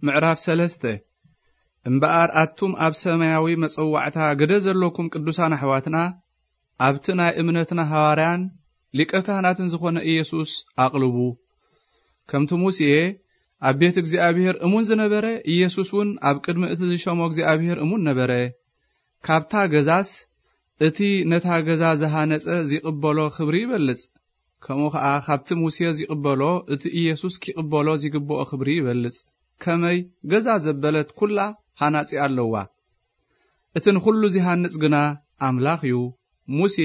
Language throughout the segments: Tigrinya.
ምዕራፍ ሰለስተ። እምበኣር ኣቱም ኣብ ሰማያዊ መጸዋዕታ ግደ ዘለኩም ቅዱሳን ኣሕዋትና፣ ኣብቲ ናይ እምነትና ሃዋርያን ሊቀ ካህናትን ዝኾነ ኢየሱስ ኣቕልቡ። ከምቲ ሙሴ ኣብ ቤት እግዚኣብሔር እሙን ዝነበረ፣ ኢየሱስ እውን ኣብ ቅድሚ እቲ ዝሸሞ እግዚኣብሔር እሙን ነበረ። ካብታ ገዛስ እቲ ነታ ገዛ ዝሃነጸ ዚቕበሎ ክብሪ ይበልጽ። ከምኡ ኸኣ ካብቲ ሙሴ ዚቕበሎ እቲ ኢየሱስ ኪቕበሎ ዚግብኦ ክብሪ ይበልጽ። ከመይ ገዛ ዘበለት ኩላ ሃናጺ ኣለዋ። እቲ ንኹሉ ዚሃንጽ ግና ኣምላኽ እዩ። ሙሴ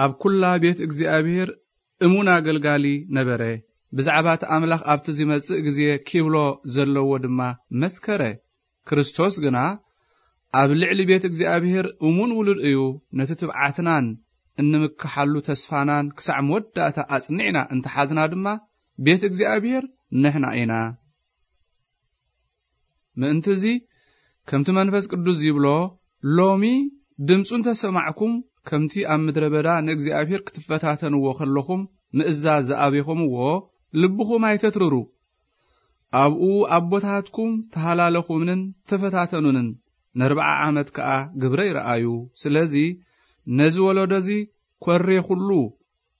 ኣብ ኩላ ቤት እግዚኣብሔር እሙን ኣገልጋሊ ነበረ። ብዛዕባ እቲ ኣምላኽ ኣብቲ ዚመጽእ ግዜ ኪብሎ ዘለዎ ድማ መስከረ። ክርስቶስ ግና ኣብ ልዕሊ ቤት እግዚኣብሔር እሙን ውሉድ እዩ። ነቲ ትብዓትናን እንምክሓሉ ተስፋናን ክሳዕ መወዳእታ ኣጽኒዕና እንተሓዝና ድማ ቤት እግዚኣብሔር ንሕና ኢና። ምእንቲ እዚ ከምቲ መንፈስ ቅዱስ ዚብሎ፣ ሎሚ ድምፁ እንተሰማዕኩም፣ ከምቲ ኣብ ምድረ በዳ ንእግዚኣብሔር ክትፈታተንዎ ከለኹም ምእዛዝ ዝኣበኹምዎ፣ ልብኹም ኣይተትርሩ። ኣብኡ ኣቦታትኩም ተሃላለኹምንን ተፈታተኑንን፣ ነርብዓ ዓመት ከኣ ግብረይ ረኣዩ። ስለዚ ነዚ ወለዶ እዚ ኰሬኹሉ፣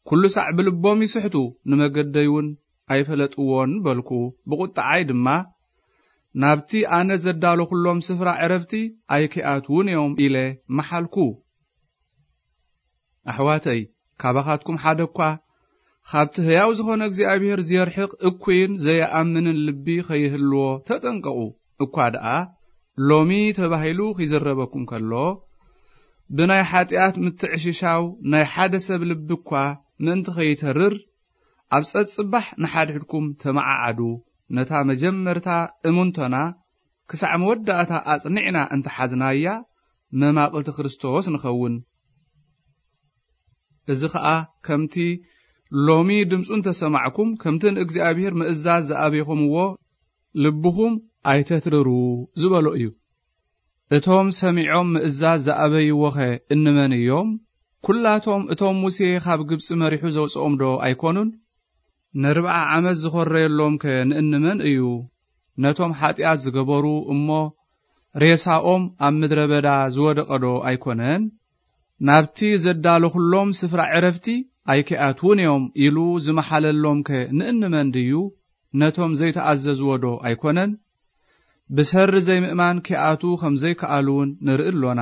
ኩሉ ሳዕ ብልቦም ይስሕቱ፣ ንመገደይ እውን ኣይፈለጥዎን በልኩ። ብቑጥዓይ ድማ፣ ናብቲ ኣነ ዘዳለኹሎም ስፍራ ዕረፍቲ ኣይኪኣትዉን እዮም ኢለ መሓልኩ። ኣሕዋተይ፣ ካባኻትኩም ሓደ እኳ ኻብቲ ህያው ዝኾነ እግዚኣብሔር ዜርሕቕ እኩይን ዘይኣምንን ልቢ ኸይህልዎ ተጠንቀቑ። እኳ ደኣ ሎሚ ተባሂሉ ኺዝረበኩም ከሎ፣ ብናይ ሓጢኣት ምትዕሽሻው ናይ ሓደ ሰብ ልቢ እኳ ምእንቲ ኸይተርር፣ ኣብ ጸጽባሕ ንሓድሕድኩም ተመዓዓዱ። ነታ መጀመርታ እሙንቶና ክሳዕ መወዳእታ ኣጽኒዕና እንተሓዝናያ፣ መማቕልቲ ክርስቶስ ንኸውን። እዚ ኸኣ ከምቲ ሎሚ ድምፁ እንተሰማዕኩም፣ ከምቲ ንእግዚኣብሔር ምእዛዝ ዝኣበይኹምዎ፣ ልብኹም ኣይተትርሩ ዝበሎ እዩ። እቶም ሰሚዖም ምእዛዝ ዝኣበይዎኸ እንመን እዮም? ኩላቶም እቶም ሙሴ ኻብ ግብፂ መሪሑ ዘውፅኦም ዶ ኣይኮኑን? ነርብዓ ዓመት ዝኾረየሎምከ ንእንመን እዩ? ነቶም ሓጢኣት ዝገበሩ እሞ ሬሳኦም ኣብ ምድረ በዳ ዝወደቐ ዶ ኣይኮነን? ናብቲ ዘዳለኹሎም ስፍራ ዕረፍቲ ኣይኪኣትዉን እዮም ኢሉ ዝመሓለሎምከ ንእንመን ድዩ? ነቶም ዘይተኣዘዝዎ ዶ ኣይኮነን? ብሰሪ ዘይምእማን ኪኣትዉ ከም ዘይከኣሉ እውን ንርኢ ኣሎና።